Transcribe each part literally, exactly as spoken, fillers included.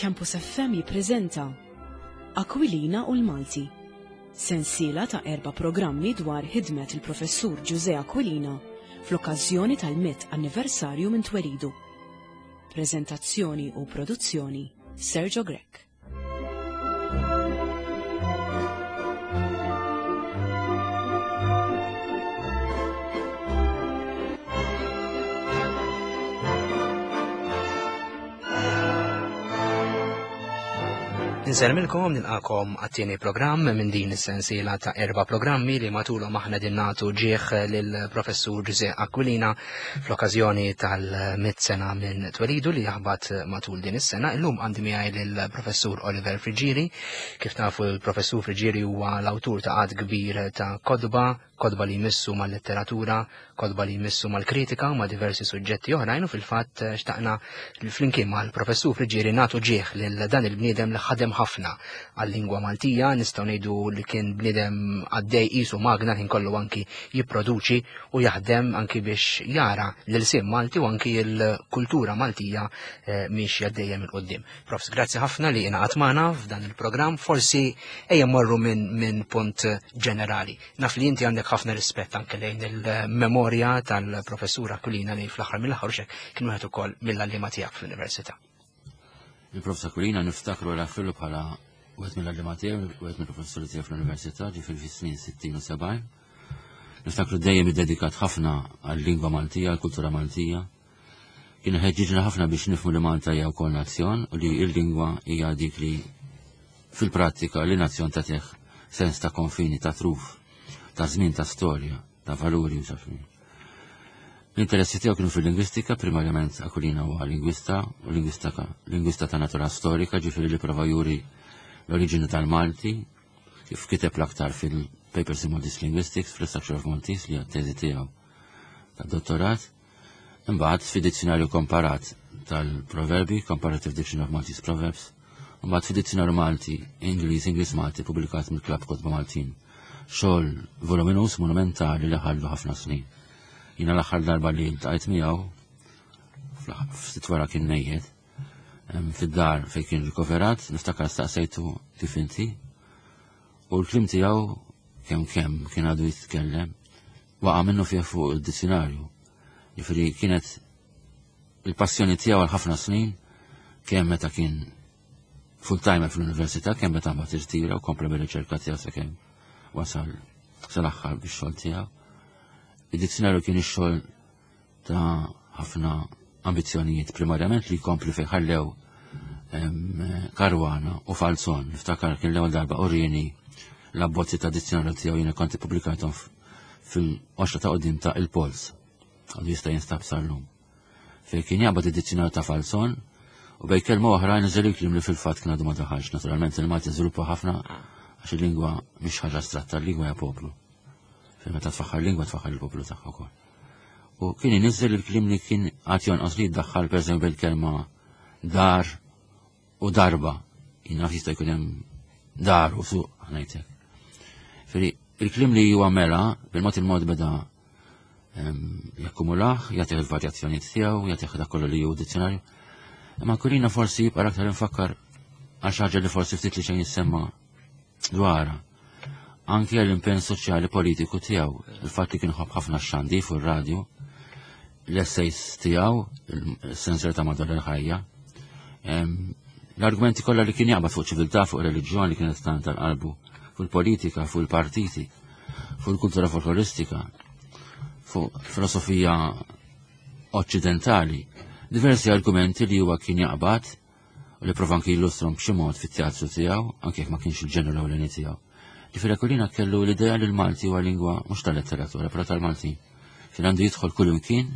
Campus F M jippreżenta Aquilina u l-Malti. Sensiela ta' erba' programmi dwar ħidmet il-Professur Ġużè Aquilina fl-okkażjoni tal-mitt anniversarju minn twelidu. Prezentazzjoni u produzzjoni, Sergio Grech. Insellmilkom, nilqakom għat-tieni programm minn din is-sensiela ta' erba' programmi li matulhom aħna din nagħtu ġieħ lill-Professur Ġużè Aquilina fl-okkażjoni tal-mitt sena minn twelidu li jaħbat matul din is-sena. Illum għandi miegħi lill-Professur Oliver Friggieri. Kif tafu, il-Professur Friggieri huwa l-awtur ta' għadd kbir ta' kotba, kotba li jmissu mal-letteratura, kotba li jmissu mal-kritika u ma' diversi suġġetti oħrajn, u fil-fatt xtaqna flimkien mal-Professur Friggieri nagħtu ġieħ lil dan il-bniedem li ħadem ħafna għal-lingwa Maltija. Nistgħu ngħidu li kien bniedem għaddej qisu magna, ħin kollu anki jipproduċi u jaħdem anki biex jara l-ilsien Malti u anki l-kultura Maltija eh, mixja dejjem 'il quddiem. Profs, grazzi ħafna li ingħaqadt magħna f'dan il-programm. Forsi ejja mmorru minn min punt ġenerali. Naf li inti għandek ħafna rispett anke lejn il-memorja tal-Professur Aquilina li fl-aħħar mill-aħħar xek kien wieħed ukoll mill-għalliema tiegħek fl-università. Il-Professur Aquilina niftakru l bħala wieħed mill-għalliema tiegħu, wieħed mill-professuri tiegħu fl-università, ġifieri fis-snin sittin u sebgħin. Niftakru dejjem iddedikat ħafna għal-lingwa Maltija, għall-kultura Maltija. Kien ħeġġiġna ħafna biex nifhmu li Malta hija wkoll nazzjon u li l-lingwa hija dik li fil-prattika li nazzjon tagħtih sens ta' konfini, ta' truf, ta' żmien, ta' storja, ta' valuri u xafin. L-interessi tiegħu kienu fil-lingwistika, primarjament Aquilina huwa lingwista u lingwista, lingwista ta' natura storika, ġifieri li prova juri l-oriġini tal-Malti, kif kiteb l-aktar fil-Papers in Maltese Linguistics, fl-Structure of Maltese li għat-teżi tiegħu ta' dottorat. Imbagħad fid-dizzjonarju komparat tal-proverbi, Comparative Dictionary of Maltese Proverbs, imbagħad fid-dizzjonarju Malti, Ingliż, Ingliż Malti, publikat mill-Klabb Kotba Maltin. Xogħol voluminus, monumentali li ħallu ħafna snin. Jiena l-aħħar darba li ltqajt miegħu, ftit wara kien mejjet, fid-dar fejn kien rikoverat, niftakar staqsejtu kif inti, u l-kliem tiegħu kemm kemm kien għadu jitkellem, waqa' minnu fih fuq id-dizzjonarju. Jiġifieri kienet il-passjoni tiegħu għal ħafna snin, kemm meta kien full-timer fl-università, kemm meta mbagħad irtira u kompla bir-riċerka tiegħu sakemm wasal sal-aħħar bix-xogħol tiegħu. Id-dizzjonarju kien ix-xogħol ta' ħafna ambizzjonijiet, primarjament li jkompli fejn ħallew Caruana u Falzon. Niftakar kien l-ewwel darba urini l-abbozzi ta' dizzjonarju tiegħu, jiena kont ippubblikajthom fil-qoxra ta' quddiem ta' Il-Pols. Għadu jista' jinstab sal-lum. Fejn kien jaqbad id-dizzjonarju ta' Falzon u bejn kelma oħra niżel il-kliem li fil-fatt kien għadu ma daħalx. Naturalment il-Malti żviluppa ħafna għax il-lingwa mhix ħaġa astratta, il-lingwa hija poplu. Fejn meta tfaħħar lingwa tfaħħar il-poplu tagħha wkoll. U kien iniżel il-kliem li kien għad jonqos li jiddaħħal, pereżempju bil-kelma dar u darba. Jien naf jista' jkun hemm dar u suq, ngħidlek. Feri il-kliem li huwa mela, bil-mod il-mod beda jakkumulaħ, jagħtih il-varjazzjonijiet tiegħu, jagħtih dak kollu li hu dizzjonarju. Imma Aquilina forsi jibqa' aktar infakkar għal xi ħaġa li forsi ftit li xejn jissemma dwarha. Anki għall-impenn soċjali politiku tiegħu, il-fatt li kien ħobb ħafna x-xandir fuq ir-radju, l-essays tiegħu, il-sensor ta' madwar il-ħajja, l-argumenti kollha li kien jaqbad fuq ċiviltà, fuq reliġjon li kienet tant tal-qalbu, fuq il-politika, fuq il-partiti, fuq il-kultura folkloristika, fuq filosofija oċċidentali, diversi argumenti li huwa kien jaqbad u li prova anki jillustrom b'xi mod fit-teatru tiegħu, anke jekk ma kienx il-ġenru l-ewleni tiegħu. Ġifieri Aquilina kellu l-idea li l-Malti huwa lingwa mhux tal-letteratura, però tal-Malti. Fejn għandu jidħol kull imkien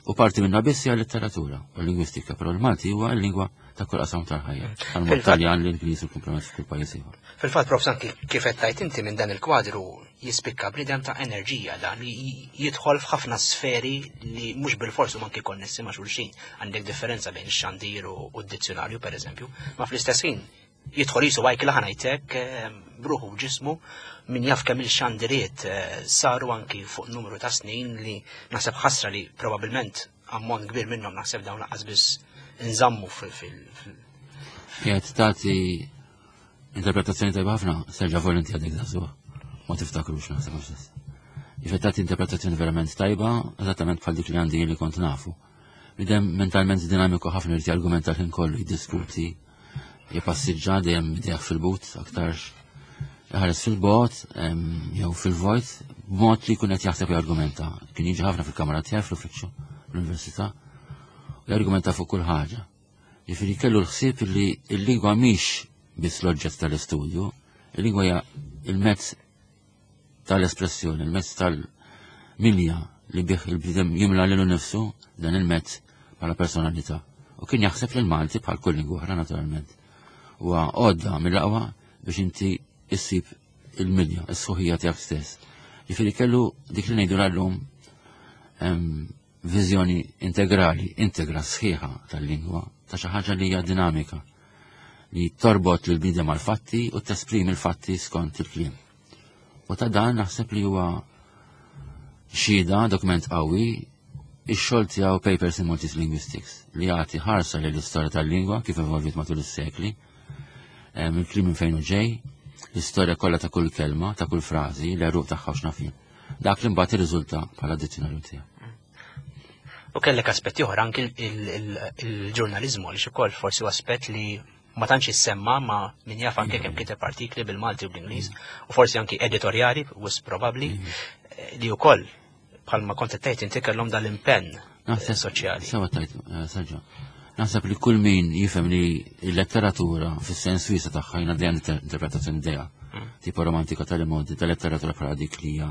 u parti minna biss hija letteratura u lingwistika, però l-Malti huwa l-lingwa ta' kull qasam tal-ħajja. Għal Taljan, l-Ingliż u l-komplement f'kull pajjiż ieħor. Fil-fatt, Prof, anki kif qed tgħid inti, minn dan il-kwadru jispikka bniedem ta' enerġija dan li jidħol f'ħafna sferi li mhux bil-forsu anki konnessi ma' xulxin. Għandek differenza bejn ix-xandir u d-dizzjonarju, pereżempju, ma fl-istess ħin jidħol jisu għajk laħanajtek bruħu ġismu min jaf kemm il-xandiriet eh, saru anki fuq numru ta' snin li naħseb ħasra li probabilment ammont kbir minnhom naħseb dawn lanqas biss nżammu Qiegħed tagħti interpretazzjoni tajba ħafna, Serġa Volenti għadek żagħżugħ. Ma tiftakrux naħseb mhux stess. Jiġifieri tagħti interpretazzjoni verament tajba, eżattament bħal dik li għandi li kont nafu. Bniedem mentalment dinamiku ħafna, irid jargumenta l-ħin kollu, jiddiskuti, jipassiġġa dejjem idejh fil-but, aktarx iħares fil-bogħod jew fil-vojt, b'mod li jkun qed jaħseb, jargumenta. Kien jiġi ħafna fil-kamra tiegħi fl-uffiċċju fl-università u jargumenta fuq kull ħaġa. Jiġifieri kellu l-ħsieb li l-lingwa mhix biss l-oġġett tal-istudju, il-lingwa hija il-mezz tal-espressjoni, il-mezz tal-milja li bih il-bniedem jimla lilu nifsu, dan il-mezz bħala personalità. U kien jaħseb li l-Malti, bħal kull lingwa oħra naturalment, huwa għodda mill-aqwa biex inti issib il-milja, is-sħuħija tiegħek stess. Jiġifieri kellu dik li ngħidu l-lum viżjoni integrali, integra sħiħa tal-lingwa, ta' xi ħaġa li hija dinamika, li torbot lil bniedem mal-fatti u tesprimi l-fatti skont il-kliem. U ta' dan naħseb li huwa xhieda, dokument qawwi, ix-xogħol tiegħu Papers in Maltese Linguistics, li jagħti ħarsa lil istorja tal-lingwa kif evolviet matul is-sekli, il-kliem minn fejn hu ġej, l-istorja kollha ta' kull kelma, ta' kull frażi, l-għeruq tagħha u x'naf jien. Dak li mbagħad irriżulta bħala dizzjonarju tiegħu. U kellek aspetti oħra, anki il-ġurnalizmu, li ukoll forsi aspett li ma tantx jissemma, ma min jaf anke kemm kiteb artikli bil-Malti u bl-Ingliż u forsi anki editorjali, wisq probabbli, li wkoll bħalma kont tgħid inti kellhom dal-impenn soċjali. Sewa tajt, eh, Sergio. Naħseb li kull min jifhem li l-letteratura fis-sens wiesa' tagħha, jiena dejjem interpretazzjoni dejja mm. tipo romantika tal-modi tal-letteratura bħala dik li hija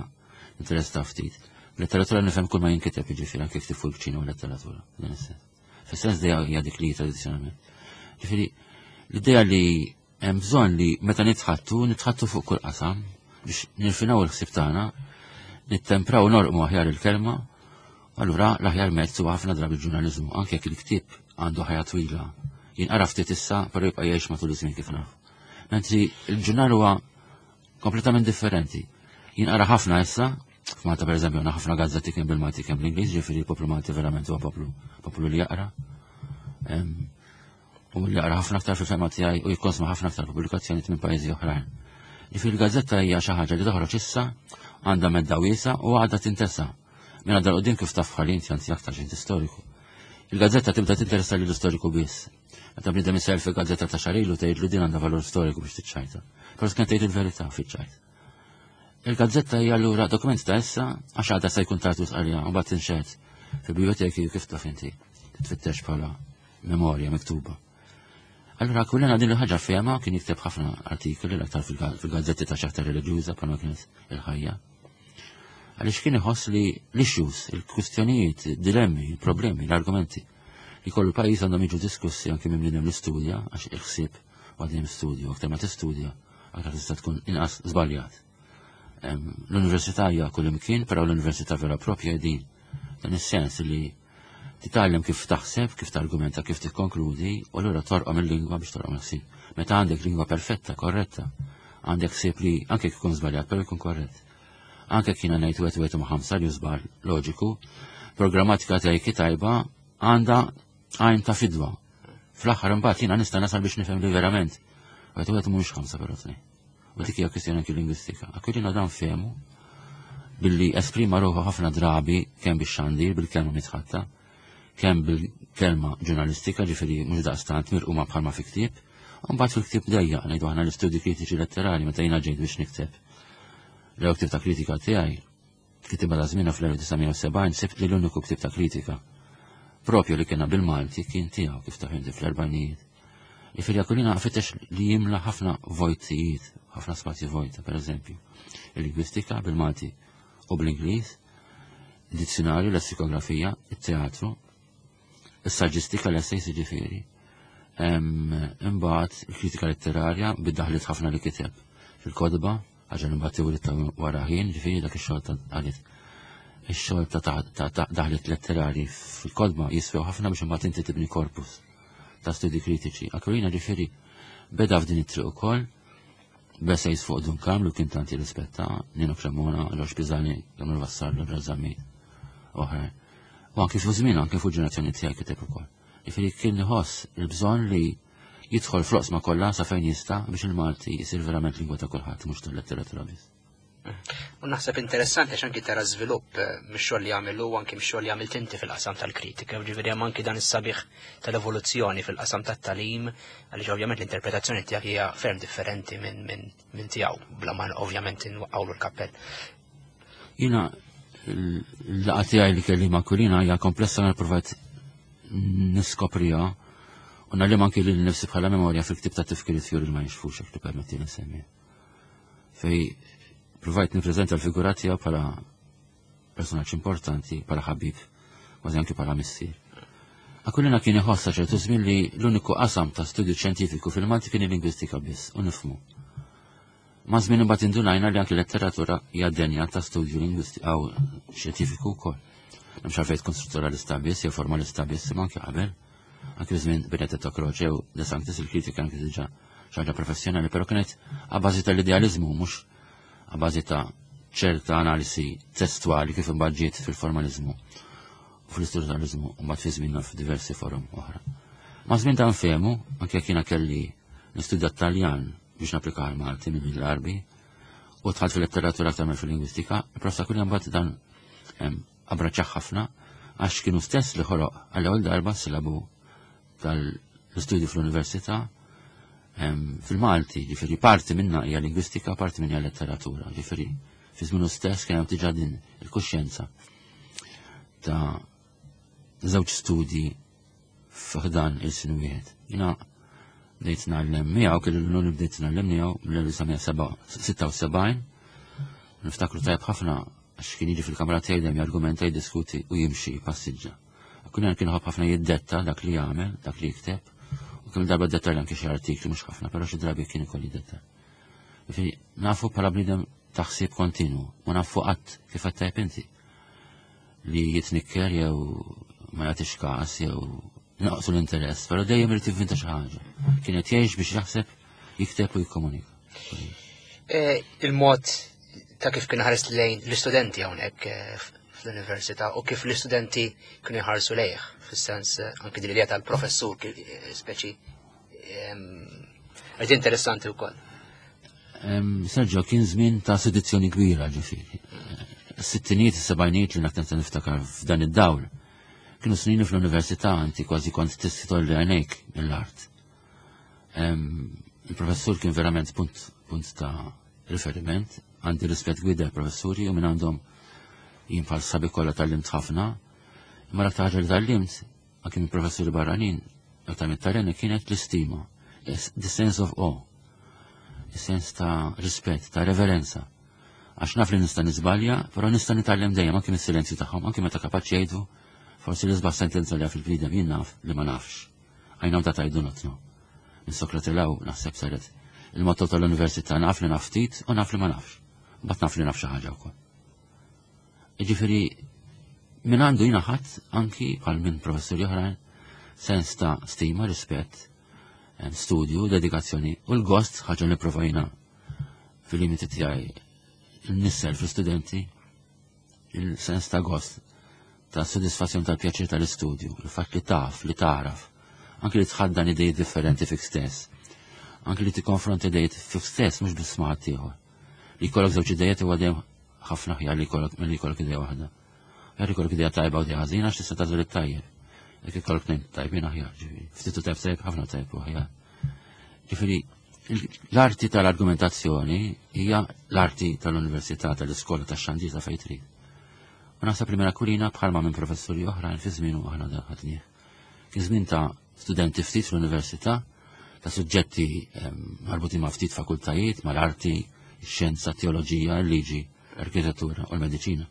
interess ta' ftit. Letteratura nifhem kull ma jinkiteb, jiġifieri anke kif fuq il-kċina u letteratura. Dan is-sens. Fis-sens dejja hija dik li tradizzjonalment. Ġifieri l-idea li hemm bżonn li meta nitħattu, nitħattu fuq kull qasam biex nirfinaw il-ħsieb tagħna, nittempraw, norqmu aħjar il-kelma, allura l-aħjar mezz huwa ħafna drabi il-ġurnaliżmu, anke jekk il-ktieb għandu ħajja twila. Jinqara ftit issa, però jibqa' jgħix matul iż-żmien kif naf. Mentri il-ġurnal huwa kompletament differenti. Jinqara ħafna issa, f'Malta per eżempju għandna ħafna gazzetti kemm bil-Malti kemm bl-Ingliż, ġifieri il-poplu Malti verament huwa poplu poplu li jaqra. U li jaqra ħafna aktar fil-fehma tiegħi u jikkonsma ħafna aktar pubblikazzjonijiet minn pajjiżi oħrajn. Ġifieri il-gazzetta hija xi ħaġa li toħroġ issa, għandha medda wiesa u għadha tintesa. Minn għadha qudiem, kif taf ħalin, anzi aktar xejn storiku. Il-gazzetta tibda tinteressa lill storiku biss. Meta bniedem isel fil-gazzetta ta' xahar ilu, tgħidlu din għandha valur storiku biex tiċċajta. Però kien tgħid il-verità fiċ-ċajt. Il-gazzetta hija allura dokument ta' issa, għax għadha se jkun tard għalija u mbagħad tinxed fil-biblioteki, kif taf inti, titfittex bħala memorja miktuba. Allura kullena din il-ħaġa fehma, kien jikteb ħafna artikoli, l-aktar fil-gazzetti ta' xaħta reliġjuża bħalma kienet Il-Ħajja. Għaliex kien iħoss li l-issues, il-kwistjonijiet, dilemmi, il-problemi, l-argumenti li kollu pajjiż għandhom jiġu diskussi anke minn bniedem l-istudja, għax il-ħsieb għadjem studju, aktar ma tistudja, aktar tista' tkun inqas żbaljat. L-università hija kull imkien, però l-università vera propja din. Dan is-sens li titgħallem kif taħseb, kif targumenta, kif tikkonkludi, u allura torqom il-lingwa biex torqom il-ħsieb. Meta għandek lingwa perfetta, korretta, għandek ħsieb li anke jkun żbaljat, però jkun korrett. Anke kiena ngħid wieħed wieħed ma' ħamsa li żball loġiku, programmatika tiegħi tajba għandha għajn ta' fidwa. Fl-aħħar imbagħad jiena nista' nasal biex nifhem li verament wieħed wieħed mhux ħamsa però tnejn. U dik hija kwistjoni anki lingwistika. Aquilina dan fehmu billi esprima ruħu ħafna drabi kemm bix-xandir, bil-kelma mitħatta, kemm bil-kelma ġurnalistika, ġifieri mhux daqstant mirquma bħalma fi ktieb, u mbagħad fil-ktieb dejja ngħidu aħna l-istudji kritiċi letterali. Meta jiena ġejt biex nikteb l ktieb ta' kritika tiegħi, kitibha ta' żmienha fl-elf disa' mija u sebgħin, sibt li l-uniku ktieb ta' kritika propju li kiena bil-Malti kien tiegħu, kif taf inti, fl-erbgħinijiet. Ġifieri Aquilina fittex li jimla ħafna vojtijiet, ħafna spazji vojta, per eżempju, il-lingwistika bil-Malti u bl-Ingliż, il-dizzjonarju, l-lessikografija, il-teatru, il-saġġistika, l-essays ġifieri. Imbagħad il-kritika letterarja bid-daħliet ħafna li kiteb fil-kotba, ħaġa li mbagħad tiwlit ta' wara ħin, ġifieri dak ix-xogħol ta' qalit. Ix-xogħol ta' daħliet letterari fil-kotba jiswew ħafna biex imbagħad inti tibni korpus ta' studi kritiċi. Aquilina ġifieri beda f'din it-triq ukoll, b'essays fuq Dun Karm li kien tanti rispetta, Nino Cremona, Ġorġ Pisani, Gamil Vassallo, Ġorġ Zammit, oħrajn. U anki fuq żmien, anki fuq ġenerazzjoni tiegħi kiteb ukoll. Ġifieri kien iħoss il-bżonn li Jidħol fl-oqsma kollha sa fejn jista' biex il-Malti jsir verament lingwa ta' kulħadd, mhux tal-letteratura biss. U naħseb interessanti għax anki tara żvilupp eh, mix-xogħol li għamel u anki mix-xogħol li għamilt inti fil-qasam tal-kritika, ġifieri hemm anki dan is-sabiħ tal-evoluzzjoni fil-qasam tat-tagħlim, għaliex ovvjament l-interpretazzjoni tiegħek hija ferm differenti minn min, min tiegħu, bla ma ovvjament inwaqqgħulu l-kappell. Jiena l-laqgħa tiegħi li kelli ma' Aquilina hija komplessa, nipprovat niskopriha u ngħallem anki lil nifsi bħala memorja fil-ktib ta' tifkiriet Fjuri ma Jinxfux, jekk tippermetti nsemmi. Fejn provajt nippreżenta l-figura tiegħu bħala personaġġ importanti, bħala ħabib, kważi anki bħala missier. Aquilina kien iħossa ċertu żmien li l-uniku qasam ta' studju xjentifiku fil-Malti kien il-lingwistika biss, u nifhmu. Ma' żmien imbagħad indunajna li anki letteratura hija denja ta' studju lingwistiku aw xjentifiku wkoll. M'hemmx għalfejn tkun strutturalista biss jew formalista biss, imma anki qabel. Anki żmien Benedetto Croce u De Sanctis, il-kritika anki diġà xi ħaġa professjonali, però kienet a bażi tal-idealizmu, mhux a bażi ta' ċerta analisi testuali kif imbagħad ġiet fil-formalizmu u fl-istrutturalizmu u mbagħad fi żmienna f'diversi forum oħra. Ma' żmien dan fehmu, anke jekk jiena kelli nistudja Taljan biex napplika għal-Malti minn l-Arbi u dħalt fil-letteratura aktar minn fil-lingwistika, il-Professor Aquilina mbagħad dan abbraċċah ħafna għax kienu stess li ħoloq għall-ewwel darba silabu tal-istudju fl-università fil-Malti, ġifieri parti minna hija lingwistika, parti minna hija letteratura, ġifieri fi żmienu stess kien hemm diġà din il-kuxjenza ta' żewġ studji f'dan il-sin wieħed. Jiena bdejt ngħallem miegħu, kelli l-unur bdejt ngħallem miegħu mill-elf disa' mija sitta u sebgħin. Niftakru tajb ħafna għax kien jiġi fil-kamra tiegħi, dejjem jargumenta, jiddiskuti u jimxi passiġġa. Aquilina kien iħobb ħafna jiddetta dak li jagħmel, dak li jikteb. U kemm darba detta anke xi artikli, mhux ħafna, però xi drabi kien ikolli detta. Ġifieri nafu bħala bniedem taħsib kontinu, ma nafu qatt kif qed tajb inti li jitnikker jew ma jagħtix każ jew naqsu l-interess, però dejjem irid jivvinta xi ħaġa. Kien qed jgħix biex jaħseb, jikteb u jikkomunika. Eh, il-mod ta' kif kien ħares lejn l-istudenti hawnhekk eh, fl-università u kif l-istudenti kienu jħarsu lejh, fis-sens eh, anki din l-idea tal-professur speċi qed interessanti wkoll. Sergio, kien żmien ta' sedizzjoni kbira, ġifieri. Sittinijiet, is-sebgħinijiet li naktar niftakar f'dan id-dawl. Kienu snin fl-università inti kważi kont tistolli għajnejk mill-art. Il-professur kien verament punt, punt ta' riferiment, għandi rispett kbir l-professuri u minn għandhom jien bħal sħabi kollha tgħallimt ħafna. Imma l-aktar ħaġa li tgħallimt, anke minn professuri barranin, aktar mit-Taljani, kienet l-istima, the sense of awe, il-sens ta' rispett, ta' reverenza. Għax naf li nista' niżbalja, però nista' nitgħallem dejjem anke mis-silenzju tagħhom, anke meta kapaċi jgħidu forsi l-isbaħ sentenza li fil-bniedem, jien naf li ma nafx. I know that I do not know. Minn Sokrate law naħseb saret il-motto tal-università: naf li naf ftit u naf li ma nafx. Bat naf li naf xi ħaġa wkoll. Ġifieri minn għandu jiena ħadd anki bħal minn professuri oħrajn sens ta' stima, rispett, studju, dedikazzjoni u l-gost, ħaġa li provajna fil-limiti tiegħi nissel fl-studenti, il-sens ta' gost, ta' soddisfazzjon, tal-pjaċir tal-istudju, il-fatt li taf, li taraf, anki li tħaddan idejiet differenti fik stess, anki li tikkonfronti idejiet fik stess, mhux biss ma' ieħor. Li jkollok żewġ idejiet huwa dejjem ħafna aħjar li jkollok milli jkollok idea waħda. Aħjar jkollok idea tajba u idea ħażina għax tista' tagħżel it-tajjeb. Jekk ikollok tnejn tajbin aħjar, ġifieri. Ftit u tajb tajb, ħafna tajb u aħjar. Ġifieri l-arti tal-argumentazzjoni hija l-arti tal-università, tal-iskola, tax-xandir, ta' fejn trid. U naħseb li minn Aquilina bħalma minn professuri oħrajn fi żmienu aħna dan ħadnieh. Kien żmien ta' studenti ftit fl-università, ta' suġġetti marbutin ma' ftit fakultajiet, mal-arti, xjenza, teoloġija, liġi, arkitettura u l-mediċina.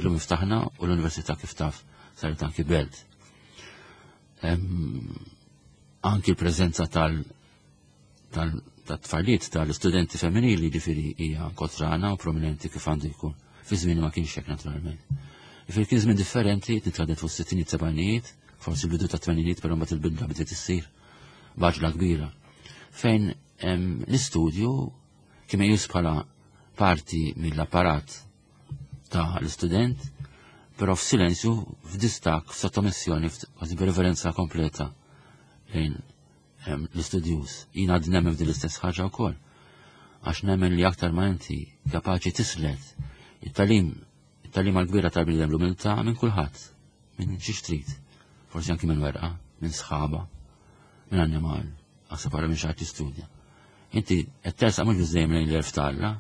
Illum iftaħna u l-università, kif taf, saret anki belt. Anki l-preżenza tal tat-tfajliet, tal-istudenti femminili, ġifieri hija kotrana u prominenti kif għandu jkun. Fi żmien ma kienx hekk, naturalment. Ġifieri kien żmien differenti, nitħaddet fuq sittinijiet, sebgħinijiet, forsi l-bidu ta' tmeninijiet, però mbagħad il-bidla bdiet issir b'għaġla kbira. Fejn l-istudju kien meqjus bħala parti mill-apparat ta' l-istudent, però f'silenzju, f'distak, f'sottomissjoni, kważi b'reverenza kompleta lejn l-istudjuż. Jiena għad nemmen f'din l-istess ħaġa wkoll. Għax nemmen li aktar ma inti kapaċi tislet it-tagħlim, it-tagħlim għal-kbira tal-bniedem, l-umiltà, minn kulħadd, minn xi trid. Forsi anki minn werqa, minn sħaba, minn annimal, aħseb ara minn xi ħadd jistudja. Inti qed tersaq mhux biss dejjem lejn l-għerf t'Alla,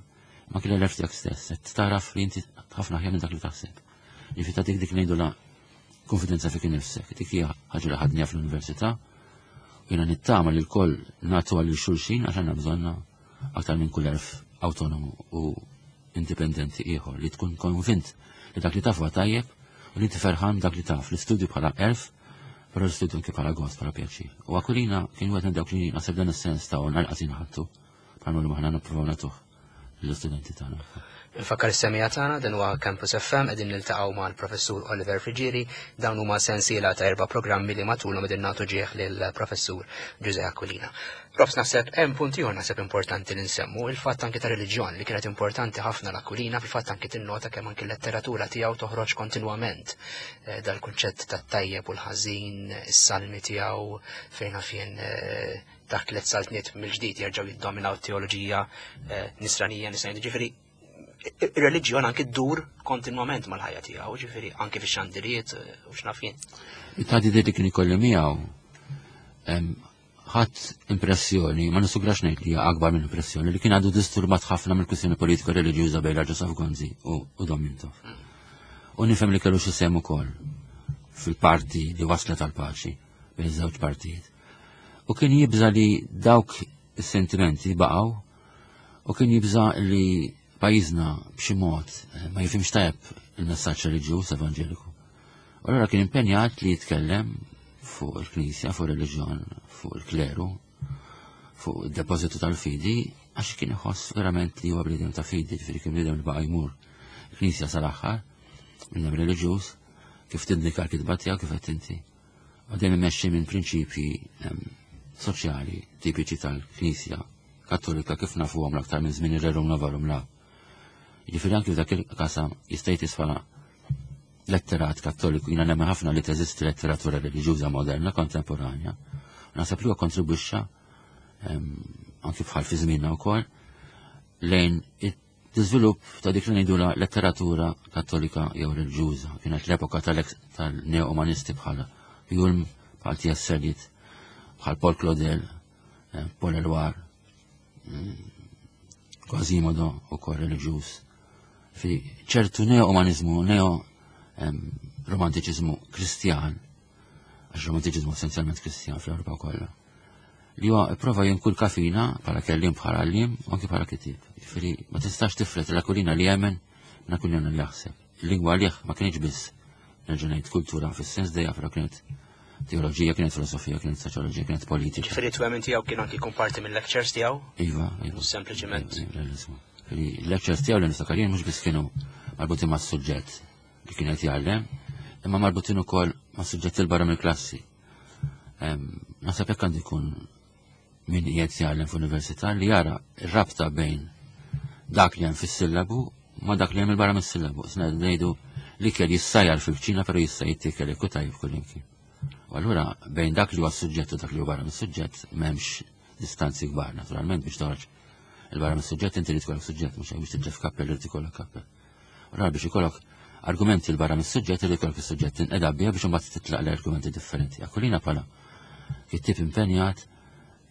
ma kien l-għerf tiegħek stess, qed taraf li inti ħafna aħjar minn dak li taħseb. Jiġifieri tagħtik dik ngħidu la konfidenza fik innifsek. Dik hija ħaġa li ħadniha fl-università. U jiena nittama li lkoll nagħtu għal xulxin, għax għandna bżonna aktar minn kull għerf autonomu u indipendenti ieħor, li tkun konvint li dak li taf huwa tajjeb u li inti ferħan dak li taf. L-istudju bħala għerf, però l-istudju anke bħala gost, bħala pjaċir. U Aquilina kien wieħed minn dawk li naħseb dan is-sens ta' għal ħattu bħalma li aħna nippruvaw nagħtuh l-istudenti tagħna. Nfakkar is-semmiegħa tagħna, dan huwa Campus F M, qegħdin niltaqgħu mal-Professur Oliver Friggieri. Dawn huma sensiela ta' erba' programmi li matulhom qegħdin nagħtu ġieħ lill-Professur Ġużè Aquilina. Profs, naħseb hemm punt ieħor naħseb importanti li nsemmu, il-fatt anke ta' reliġjon li kienet importanti ħafna l-Aquilina. Fil-fatt anke tinnota kemm anke l-letteratura tiegħu toħroġ kontinwament eh, dal-kunċett tat-tajjeb u l-ħażin, is-salmi tiegħu fejn fien eh, taħt tliet saltniet mill-ġdid jerġgħu jiddominaw teoloġija eh, nisranija nisranija. Ġifieri ir-reliġjon anke ddur kontinwament mal-ħajja tiegħu, ġifieri anke fix-xandiriet eh, u x'naf jien. It-taħditiet li kien ikolli miegħu, ħadd impressjoni, ma nisugrax ngħid li hija akbar minn impressjoni, li kien għadu disturbat ħafna mill-kwistjoni politika reliġjuża bejn Joseph Gonzi u, u Dom Mintoff. U nifhem li kellu xi sehem ukoll fil-parti li waslet għal paċi bejn iż-żewġ partijiet. U kien jibża li dawk is-sentimenti baqgħu u kien jibża li pajjiżna b'xi mod eh, ma jifhimx tajjeb il-messaġġ reliġjuż evanġeliku. U allura kien impenjat li jitkellem fuq il-Knisja, fuq il-reliġjon, fuq il-kleru, fuq il-depozitu tal-fidi, għax kien iħoss verament li huwa bniedem ta' fidi, ġifieri kien bniedem li baqa' jmur il-Knisja sal-aħħar, bniedem reliġjuż, kif tindika l-kitba tiegħu, kif qed inti. U dejjem imexxi minn prinċipji em, soċjali tipiċi tal-Knisja Kattolika kif nafuhom l-aktar minn żmien ir-Rerum Novarum la. Jiġifieri anki f'dak il-qasam jista' jitqies letterat kattoliku. Jiena nemmen ħafna li teżisti letteratura reliġjuża moderna kontemporanja. Naħseb li huwa kontribwixxa em, anki bħal fi żmienna wkoll lejn it-iżvilupp ta' dik li ngħidula letteratura kattolika jew reliġjuża. Kienet l-epoka tal-neo-umanisti bħala Hulme, bħal T S. Eliot, bħal Paul Claudel, eh, Paul Eluard, mm, Quasimodo ukoll reliġjuż. Fi ċertu neo-umanizmu, neo-romantiċizmu kristjan, għax romantiċizmu essenzjalment kristjan fl-Ewropa kollha, li huwa prova jinkulka fina bħala kellim, bħala għalliem u anke bħala kitib. Jiġifieri ma tistax tiflet l-Aquilina li jemmen minn Aquilina li jaħseb. Il-lingwa għalih ma kienx biss, nerġa' ngħid, kultura fis-sens dejja, però kienet teoloġija, kienet filosofija, kienet soċjoloġija, kienet politika. Ġifieri twemmin tiegħu kien anki jkun parti mill-lectures tiegħu, Iva, iva. mhux sempliċement. Ġifieri l-lectures tiegħu li niftakar jien mhux biss kienu marbutin mas-suġġett li kien qed jgħallem, imma marbutin ukoll ma' suġġetti l barra mill-klassi. Em, Naħseb hekk għandu jkun min qiegħed jgħallem f'università, li jara r-rabta bejn dak li hemm fis-sillabu ma dak li hemm il barra mis-sillabu. Sna ngħidu li kell jissajjar fil-kċina, però jista' jittikel jekk hu tajjeb kullimkien. U allura bejn dak li huwa s-suġġett u dak li huwa barra mis-suġġett m'hemmx distanzi kbar, naturalment biex toħroġ il-barra mis-suġġett inti li tkollok suġġett, mhux hekk? Biex tiġġef kappell irid ikollok kappell. Allura biex ikollok argumenti l barra mis-suġġett irid ikollok is-suġġett tinqeda biha biex imbagħad titlaq l-argumenti differenti. Aquilina bħala kittib impenjat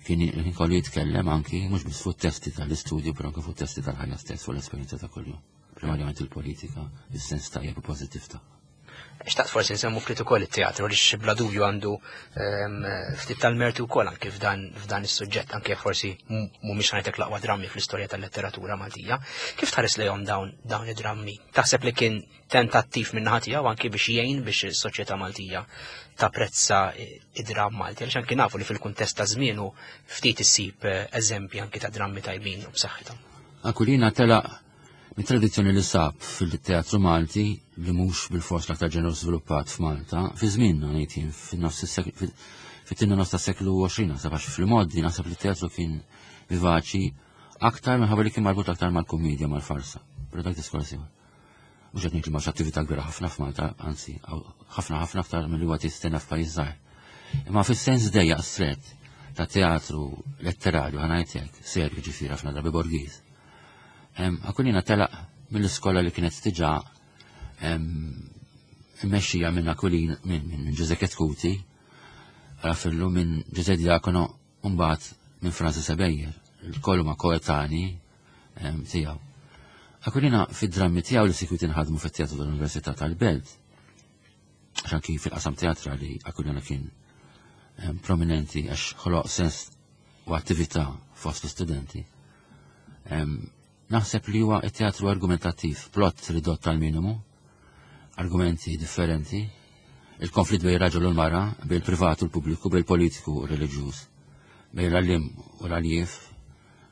kien kien kollu jitkellem anki mhux biss fuq testi tal-istudju, però anke fuq testi tal-ħajja stess, fuq l-esperjenza ta' kuljum. Primarjament il-politika, is-sens tajjeb u pożittiv ta' Xtaqt forsi nsemmu ftit ukoll it-teatru, għaliex bla dubju għandu ehm, ftit tal-mertu wkoll anke f'dan f'dan is-suġġett, anke forsi mhumiex ngħidlek l-aqwa drammi fl-istorja tal-letteratura Maltija. Kif tħares lejhom dawn dawn id-drammi? Taħseb li kien tentattiv minn naħa tiegħu anke biex jgħin biex is-soċjetà Maltija tapprezza id-dramm Malti? Għaliex anke nafu li fil-kuntest ta' żmienu ftit issib eh, eżempji anke ta' drammi tajbin u b'saħħithom. Aquilina telaq mit-tradizzjoni li sab fil-teatru Malti, li mhux bil-fors l-aktar ġeneru sviluppat f'Malta, fi żmienna ngħid jien, fin-nofs is-seklu, fit-tieni nofs tas-seklu għoxrin, naħseb, għax fil-modi naħseb li t-teatru kien vivaċi aktar minħabba li kien marbut aktar mal-komedja, mal-farsa. Però dak diskors ieħor. Mhux qed ngħid li m'hawnx attività kbira ħafna f'Malta, anzi, hawn ħafna ħafna aktar milli huwa tistenna f'pajjiż żgħir. Imma fis-sens dejjaq stret ta' teatru letterarju, ħa ngħidlek, serju ġifieri ħafna drabi borgiż. Aquilina telaq mill-iskola li kienet diġà mmexxija minn Aquilina minn minn Ġużè Chetcuti, Raffaello, minn Ġużè Diacono, mbagħad minn Francis Ebejer, il-kollu ma' koetani tiegħu. Aquilina fid-drammi tiegħu li sikwit inħadmu fit-teatru tal-Università tal-Belt, għax anki fil-qasam teatrali Aquilina kien prominenti għax ħoloq sens u attività fost l-studenti. Naħseb li huwa teatru argumentattiv, plot ridott tal-minimu, argumenti differenti, il-konflitt bejn raġel u l-mara, bejn il-privat u l-pubbliku, bejn il-politiku u reliġjuż, bejn l-għallim u l-għaljief,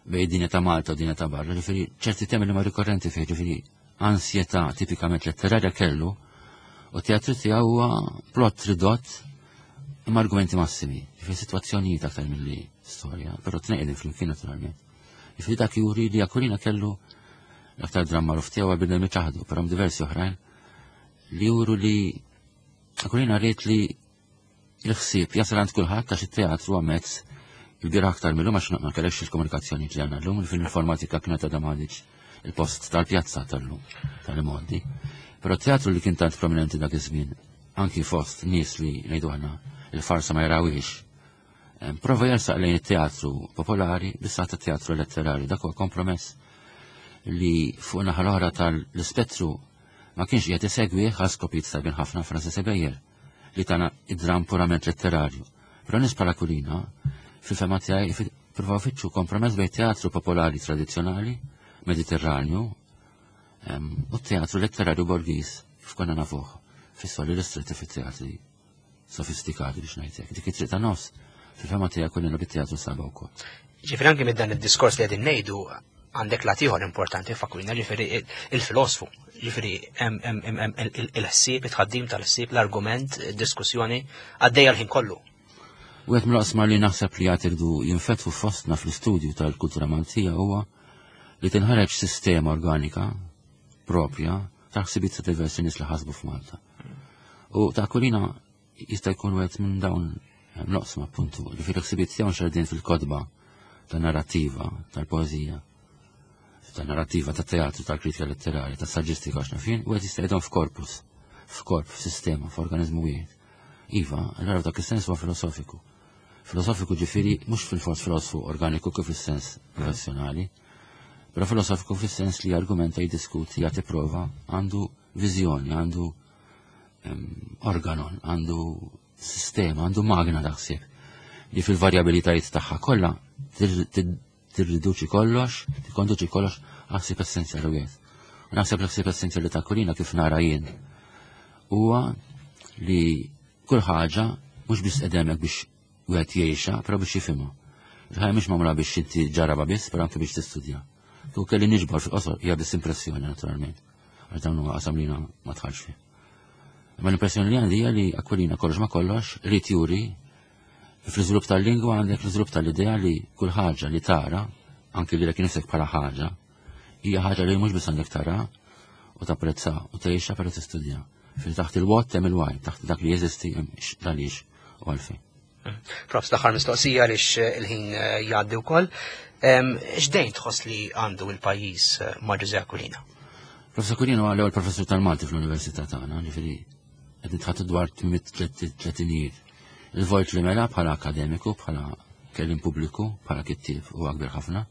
bejn dinja ta' Malta u dinja ta' barra, ġifieri ċerti temi li ma rikorrenti fih, ġifieri ansjetà tipikament letterarja kellu, u teatru tiegħu huwa plot ridott imma argumenti massimi, ġifieri sitwazzjonijiet aktar milli storja, però tnejn flimkien naturalment. Ġifieri dak juri li Aquilina kellu l-aktar dramma magħruf tiegħu għal ċaħdu, però diversi oħrajn li juru li Aquilina rrid li il-ħsieb jasal għand kulħadd, għax it-teatru huwa mezz il-bira aktar mill-lum, għax ma kellekx il-komunikazzjoni li għandna llum, fil-informatika kienet għadha m'għadix il-post tal-pjazza tal-lum, tal-modi. Però teatru li kien tant prominenti dak iż-żmien, anki fost nies li ngħidu aħna il-farsa ma jarawix, prova jersaq lejn it-teatru popolari bissa ta' teatru letterarju. Dak huwa kompromess li fuq naħa l-oħra tal-ispettru ma kienx qiegħed isegwi għal skopijiet tajbin ħafna Francis Ebejer li tana id-dram purament letterarju. Però nies bħal Aquilina fil-fehma tiegħi provaw fittxu kompromess bejn teatru popolari tradizzjonali Mediterranju u teatru letterarju borgis kif konna nafuh fis-soli ristretti fit-teatri sofistikati, biex ngħidlek. Dik it-triq ta' nofs fil-fehma tiegħi Aquilina bit-teatru saba wkoll. Ġifieri anki minn dan id-diskors li qegħdin ngħidu għandek lat ieħor importanti f'Aquilina, ġifieri il-filosofu, ġifieri il-ħsieb, it-tħaddim tal-ħsieb, l-argument, diskussjoni għaddejja l-ħin kollu. U għet mill-oqsma li naħseb li għad irdu jinfetħu fostna fl-istudju tal-kultura Maltija huwa li tinħareġ sistema organika propja ta' ħsibiet ta' diversi nies li ħasbu f'Malta. U ta' Aquilina jista' jkun wieħed minn dawn l-oqsma, appuntu, li fil-ħsibiet tiegħu nxerdin fil-kotba ta' narrativa, tal-poeżija, ta' narrativa, ta' teatru, tal-kritika letterarja, ta' saġġistika, għax nafin, u għed jista' jgħidhom f'korpus, f'korp, f'sistema, f'organizmu wieħed. Iva, allora dak is-sens huwa filosofiku. Filosofiku ġifieri mhux fil-fors filosofu organiku kif fis-sens professjonali, però filosofiku fis-sens li argumenta, jiddiskuti, jagħti prova, għandu viżjoni, għandu organon, għandu sistema, għandu magna ta' ħsieb li fil-varjabilitajiet tagħha kollha tirriduċi kollox, tikkonduċi kollox għal ħsieb essenzjali wieħed. U naħseb l-ħsieb essenzjali ta' Aquilina, kif nara jien, huwa li kull ħaġa mhux biss qedemek biex wieħed jgħixha, però biex jifhimha. Il-ħajja mhix magħmula biex inti ġaraba biss, però anke biex tistudja. Tu kelli niġbor fil-qosor, hija biss impressjoni naturalment. Għax dawn huwa qasam li ma dħalx fih. Imma l-impressjoni li għandi hija li Aquilina kollox ma kollox irid juri fl-iżvilupp tal-lingwa għandek l-iżvilupp tal-idea li kull ħaġa li tara, anki li nifsek bħala ħaġa, hija ħaġa li mhux biss għandek tara u tapprezza u tgħixha, però tistudja. Fil taħt il-what hemm il-why, taħt dak li jeżisti hemm għaliex u għalfejn. Profs, l-aħħar mistoqsija għaliex il-ħin eh, jgħaddi wkoll. X'dejn tħoss li għandu il-pajjiż eh, ma' Ġużè Aquilina? Professor Aquilina huwa l-ewwel professur tal-Malti fl-Università tagħna, ġifieri qed nitħattu dwar tletinijiet. Il-vojt li mela bħala akademiku, bħala kellim pubbliku, bħala kittieb huwa kbir ħafna.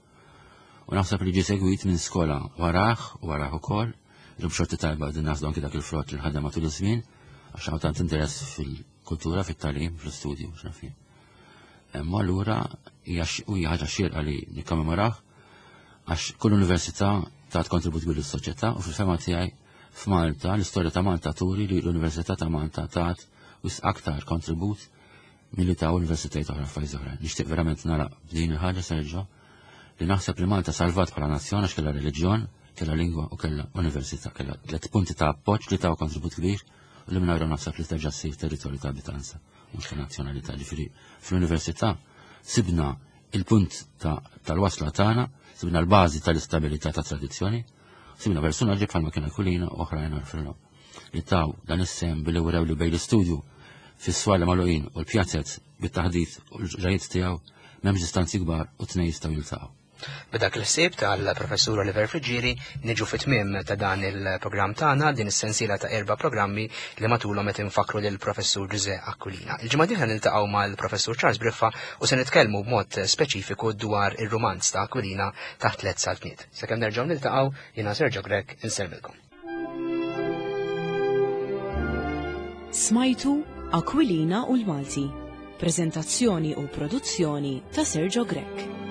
U naħseb li ġie segwit minn skola warah u warah ukoll, li b'xorti tajba din naħsdu anki dak il-frott li ħadem matul iż-żmien, għax hawn tant interess fil-kultura, fit-tagħlim, fl-istudju, x'naf jien. Imma allura hija hija ħaġa xierqa li nikkommemoraħ għax kull università tat kontribut kbir lis-soċjetà u fil-fehma tiegħi f'Malta, l-istorja ta' Malta turi li l-Università ta' Malta tat wisq aktar kontribut milli ta' universitajiet oħra f'pajjiż oħra. Nixtieq verament nara b'din il-ħaġa, Sergio, li naħseb li Malta salvat bħala nazzjon għax kellha reliġjon, kellha lingwa u kellha università, kellha tliet punti ta' appoġġ li taw kontribut kbir u li mingħajrhom naħseb li terġa' ssir territorju ta' abitanza, mhux ta' nazzjonalità. Ġifieri fl-università sibna il-punt tal-wasla tagħna, sibna l-bażi tal-istabilità ta' tradizzjoni, sibna personaġġi bħalma kien Aquilina u oħrajn għarfilhom li taw dan is-sem billi wrew li bejn l-istudju fis-swali magħluqin u l-pjazzet bit-taħdit u l-ġrajiet tiegħu M'hemmx distanzi kbar u tnejn jistgħu jiltaqgħu. B'dak il-ħsieb tal-Professur Oliver Friggieri niġu fit-tmiem ta' dan il-programm tagħna, din is-sensiela ta' erba' programmi li matulhom qed infakkru lill-Professur Ġużè Aquilina. Il-ġimgħa dieħla niltaqgħu mal-Professur Charles Briffa u se nitkellmu b'mod speċifiku dwar ir-rumanz ta' Aquilina Taħt Tliet Saltniet. Sakemm nerġgħu niltaqgħu, jiena Sergio Grech insellmilkom. Smajtu Aquilina u l-Malti. Prezentazzjoni u produzzjoni ta' Sergio Grech.